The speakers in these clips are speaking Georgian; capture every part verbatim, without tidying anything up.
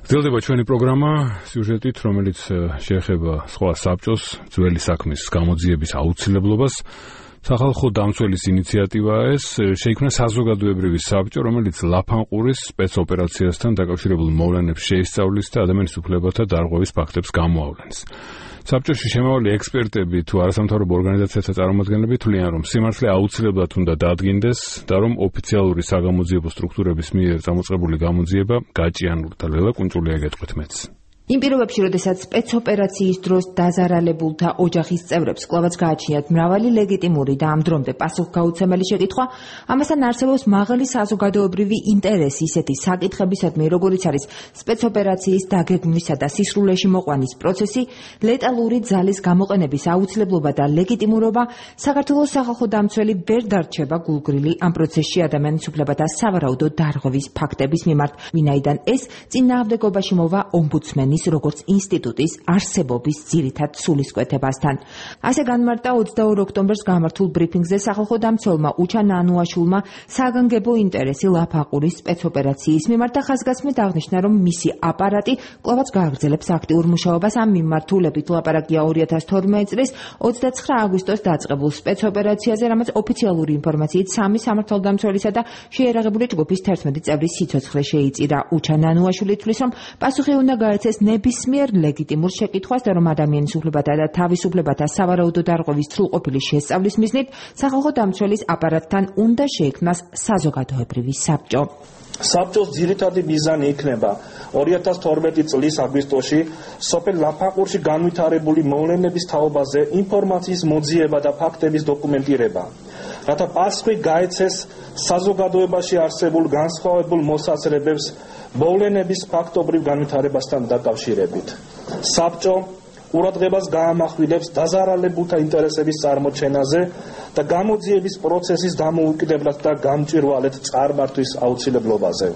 გრძელდება ჩვენი პროგრამა სიუჟეტით, რომელიც შეეხება სხვა საბჭოს ძველი საქმის გამოძიების აუცილებლობას. სახალხო დამცველის ინიციატივაა ეს, შეიქმნა საზოგადოებრივი საბჭო, რომელიც ლაფანყურის სპეცოპერაციასთან დაკავშირებულ მოვლენებს შეისწავლის და ადამიანის უფლებათა დარღვევის ფაქტებს გამოავლენს. საბჭოში შემავალი ექსპერტები თუ არასამთავრობო ორგანიზაციათა წარმომადგენლები თვლიან, რომ სიმართლე აუცილებლად უნდა დადგინდეს და რომ ოფიციალური საგამოძიებო სტრუქტურების მიერ წამოწყებული გამოძიება გაჭიანურდა. ლელა კუნჭულია ეკეთქვით მეც. იმ პირობებში, როდესაც სპეცოპერაციის დროს დაზარალებულთა ოჯახის წევრებს კვლავაც გააჩნიათ მრავალი ლეგიტიმური და ამ დრომდე პასუხგაუცემელი შეკითხვა, ამასთან არსებობს მაღალი საზოგადოებრივი ინტერესი ისეთი საკითხებისადმი, როგორიც არის სპეცოპერაციის დაგეგმვისა და სისრულეში მოყვანის პროცესი, ლეტალური ძალის გამოყენების აუცილებლობა და ლეგიტიმურობა, საქართველოს სახალხო დამცველი ვერ დარჩება გულგრილი ამ პროცესში ადამიანის უფლებათა სავარაუდო დარღვევის ფაქტების მიმართ, ვინაიდან ეს წინააღმდეგობაში მოვა ომბუდსმენის როგორც ინსტიტუტის არსებობის ძირითად სულისკვეთებასთან. ასე განმარტა ოცდაორ ოქტომბერს გამართულ ბრიფინგზე სახალხო დამცველმა უჩა ნანუაშვილმა საგანგებო ინტერესი ლაფანყურის სპეცოპერაციის მიმართ და ხაზგასმით აღნიშნა, რომ მისი აპარატი კვლავაც გააგრძელებს აქტიურ მუშაობას ამ მიმართულებით. ლაპარაკია ორი ათას თორმეტი წლის ოცდაცხრა აგვისტოს დაწყებულ სპეცოპერაციაზე, რამაც ოფიციალური ინფორმაციით სამი სამართალდამცველისა და შეიარაღებული ჯგუფის თერთმეტი წევრის სიცოცხლე შეიწირა. უჩა ნანუაშვილი თვლის, რომ პასუხი უნდა გაეცეს ნებისმიერ ლეგიტიმურ შეკითხვას და რომ ადამიანის უფლებათა და თავისუფლებათა სავარაუდო დარღვევის სრულყოფილი შესწავლის მიზნით სახალხო დამცველის აპარატთან უნდა შეიქმნას საზოგადოებრივი საბჭო. საბჭოს ძირითადი მიზანი იქნება ორი ათას თორმეტი წლის აგვისტოში სოფელ ლაფანყურში განვითარებული მოვლენების თაობაზე ინფორმაციის მოძიება და ფაქტების დოკუმენტირება, რათა პასუხი გაეცეს საზოგადოებაში არსებულ განსხვავებულ მოსაზრებებს მოვლენების ფაქტობრივ განვითარებასთან დაკავშირებით. საბჭო ყურადღებას გაამახვილებს დაზარალებულთა ინტერესების წარმოჩენაზე და გამოძიების პროცესის დამოუკიდებლად და გამჭვირვალედ წარმართვის აუცილებლობაზე.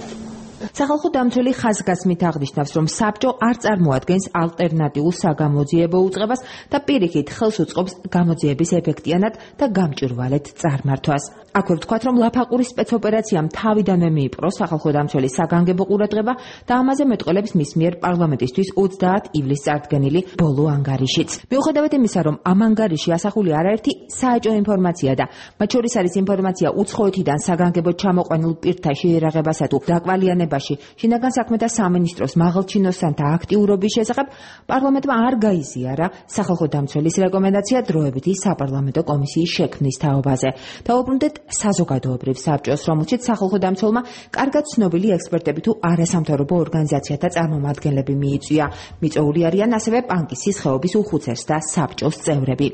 სახალხო დამცველი ხაზგასმით აღნიშნავს, რომ საბჭო არ წარმოადგენს ალტერნატიულ საგამოძიებო უწყებას და პირიქით ხელს უწყობს გამოძიების ეფექტიანად და გამჭვირვალედ წარმართვას. აქვე ვთქვათ, რომ ლაფანყურის სპეცოპერაციამ თავიდანვე მიიპყრო სახალხო დამცველის საგანგებო ყურადღება და ამაზე მეტყველებს მის მიერ პარლამენტისთვის ოცდაათ ივლისს წარდგენილი ბოლო ანგარიშიც. მიუხედავად იმისა, რომ ამ ანგარიში ასახული არაერთი საეჭვო ინფორმაცია და მათ შორის არის ინფორმაცია უცხოეთიდან საგანგებოდ ჩამოყვანილ პირთა შეიარაღებასა თუ დაკვალიანებაში, შინაგან საქმეთა სამინისტროს მაღალჩინოსანთა აქტიურობის შესახებ, პარლამენტმა არ გაიზიარა სახალხო დამცველის რეკომენდაცია დროებითი საპარლამენტო კომისიის შექმნის თაობაზე. დაუბრუნდეთ საზოგადოებრივ საბჭოს, რომელშიც სახალხო დამცველმა კარგად ცნობილი ექსპერტები თუ არასამთავრობო ორგანიზაციათა წარმომადგენლები მიიწვია. მიწვეული არიან ასევე პანკისის ხეობის უხუცეს და საბჭოს წევრები.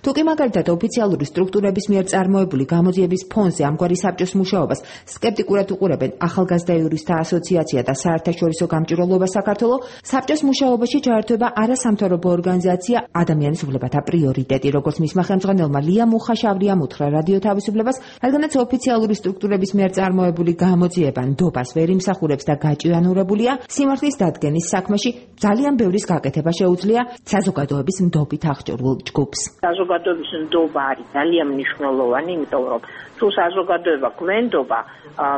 თუკი მაგალითად ოფიციალური სტრუქტურების მიერ წარმოებული გამოძიების ფონზე ამგვარი საბჭოს მუშაობას სკეპტიკურად უყურებენ ახალგაზრდა იურისტთა ასოციაცია და საერთაშორისო გამჭვირვალობა საქართველოს, საბჭოს მუშაობაში ჩაერთვება არასამთავრობო ორგანიზაცია ადამიანის უფლებათა პრიორიტეტი, როგორც მისმა ხელმძღვანელმა ლია მუხაშავრიამ უთხრა რადიო თავისუფლებას, რადგანაც ოფიციალური სტრუქტურების მიერ წარმოებული გამოძიება ნდობას ვერ იმსახურებს და გაჭიანურებულია, სიმართლის დადგენის საქმეში ძალიან ბევრის გაკეთება შეუძლია საზოგადოების ნდობით აღჭურვილ ჯგუფს. საზოგადოების ნდობა არის ძალიან მნიშვნელოვანი, იმიტომ რომ თუ საზოგადოება გვენდობა,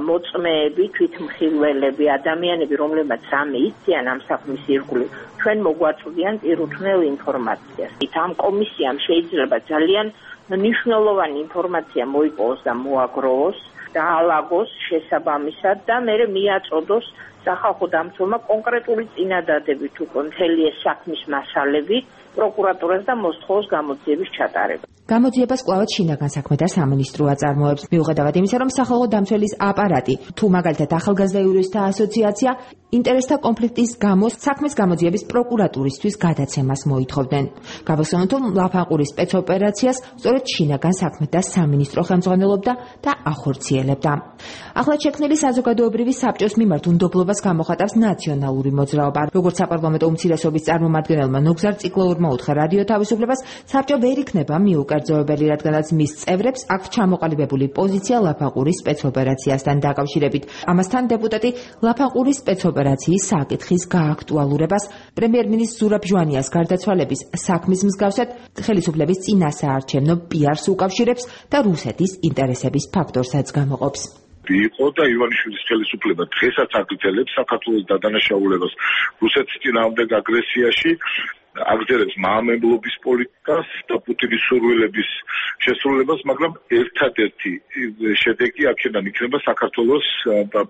მოწმეები, თვითმხილველები, ადამიანები, რომლებმაც რამე იციან ამ საქმის ირგვლივ, ჩვენ მოგვაწვდიან პირუთვნელ ინფორმაციას. ამ კომისიამ შეიძლება ძალიან მნიშვნელოვანი ინფორმაცია მოიპოვოს და მოაგროვოს და ალაგოს შესაბამისად და მერე მიაწოდოს სახალხო დამცველმა კონკრეტული წინადადებით თუ მთელი ეს საქმის მასალები პროკურატურას და მოსთხოვოს გამოძიების ჩატარება. გამოძიებას კვლავაც შინაგან საქმეთა სამინისტრო აწარმოებს. მიუხედავად იმისა, რომ სახალხო დამცველის აპარატი თუ მაგალითად ახალგაზრდა იურისტთა ასოციაცია ინტერესთა კონფლიქტის გამო საქმის გამოძიების პროკურატურისთვის გადაცემას მოითხოვდნენ. გავახსენოთ, რომ ლაფანყურის სპეცოპერაციას სწორედ შინაგან საქმეთა სამინისტრო ხელმძღვანელობდა და ახორციელებდა. ახლად შექმნილი საზოგადოებრივი საბჭოს მიმართ უნდობლობას გამოხატავს ნაციონალური მოძრაობა. როგორც საპარლამენტო უმცირესობის წარმომადგენელმა ნუგზარ ციკლოურმა უთხრა რადიო თავისუფლებას, საბჭო ვერ იქნება მიუკერძოებელი, რადგანაც მის წევრებს აქვს ჩამოყალიბებული პოზიცია ლაფანყურის სპეცოპერაციასთან დაკავშირებით. ამასთან დეპუტატი ლაფანყურის სპეცოპერაციის საკითხის გააქტუალურებას, პრემიერ-მინისტრ ზურაბ ჟვანიას გარდაცვალების საქმის მსგავსად ხელისუფლების წინასაარჩევნო პიარს უკავშირებს და რუსეთის ინტერესების ფაქტორსაც გამოყოფს. იყო და ივანიშვილის ხელისუფლება დღესაც აგრძელებს საქართველოს დადანაშაულებას რუსეთის წინააღმდეგ აგრესიაში, აგრძელებს მაამებლობის პოლიტიკას და პუტინის სურვილების შესრულებას, მაგრამ ერთადერთი შედეგი აქედან იქნება საქართველოს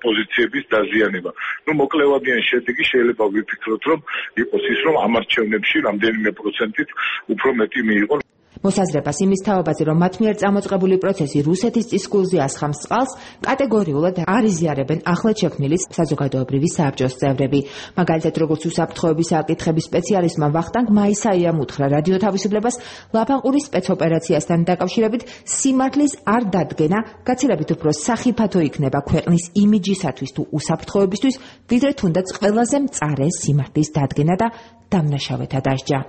პოზიციების დაზიანება. ნუ მოკლევადიანი შედეგი შეიძლება ვიფიქროთ, რომ იყოს ის, რომ ამ არჩევნებში რამდენიმე პროცენტით უფრო მეტი მიიღონ. მოსაზრებას იმის თაობაზე, რომ მათ მიერ წამოწყებული პროცესი რუსეთის წისქვილზე ასხამს წყალს, კატეგორიულად არ იზიარებენ ახლად შექმნილი საზოგადოებრივი საბჭოს წევრები. მაგალითად, როგორც უსაფრთხოების საკითხების სპეციალისტმა ვახტანგ მაისაიამ უთხრა რადიო თავისუფლებას, ლაფანყურის სპეცოპერაციასთან დაკავშირებით სიმართლის არ დადგენა, გაცილებით უფრო სახიფათო იქნება ქვეყნის იმიჯისათვის თუ უსაფრთხოებისთვის, ვიდრე თუნდაც ყველაზე მწარე სიმართლის დადგენა და დამნაშავეთა დასჯა.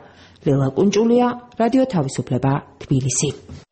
ლელა კუნჭულია, რადიო თავისუფლება, თბილისი.